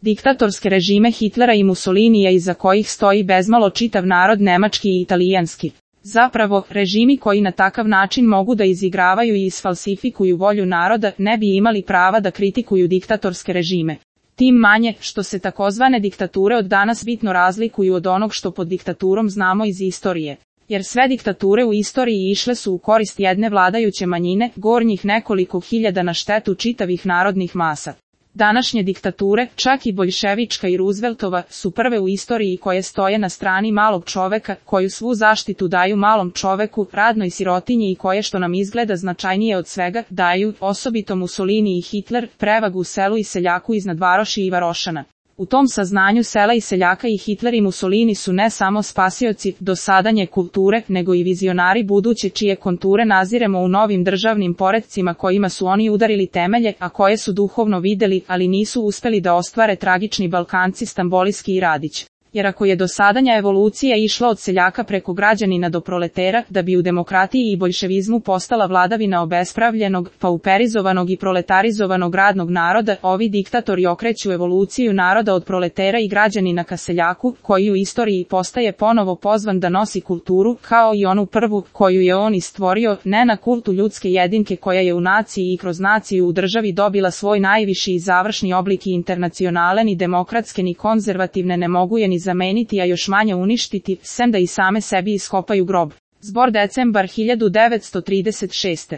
Diktatorske režime Hitlera i Mussolinija iza kojih stoji bezmalo čitav narod nemački i italijanski. Zapravo, režimi koji na takav način mogu da izigravaju i isfalsifikuju volju naroda ne bi imali prava da kritikuju diktatorske režime. Tim manje, što se takozvane diktature od danas bitno razlikuju od onog što pod diktaturom znamo iz istorije. Jer sve diktature u istoriji išle su u korist jedne vladajuće manjine, gornjih nekoliko hiljada na štetu čitavih narodnih masa. Današnje diktature, čak i boljševička i Rooseveltova, su prve u istoriji koje stoje na strani malog čoveka, koju svu zaštitu daju malom čoveku, radnoj sirotinji i koje, što nam izgleda značajnije od svega, daju, osobito Mussolini i Hitler, prevagu selu i seljaku iznad varoši i varošana. U tom saznanju sela i seljaka i Hitler i Mussolini su ne samo spasioci dosadanje kulture, nego i vizionari buduće čije konture naziremo u novim državnim poretcima kojima su oni udarili temelje, a koje su duhovno videli, ali nisu uspeli da ostvare tragični Balkanci Stamboliski i Radić. Jer ako je dosadanja evolucija išla od seljaka preko građanina do proletera, da bi u demokratiji i boljševizmu postala vladavina obespravljenog, pauperizovanog i proletarizovanog radnog naroda, ovi diktatori okreću evoluciju naroda od proletera i građanina ka seljaku, koji u istoriji postaje ponovo pozvan da nosi kulturu, kao i onu prvu, koju je on i stvorio, ne na kultu ljudske jedinke koja je u naciji i kroz naciju u državi dobila svoj najviši i završni oblik i internacionale ni demokratske ni konzervativne ne mogu je ni zameniti, a još manje uništiti, sem da i same sebi iskopaju grob. Zbor decembar 1936.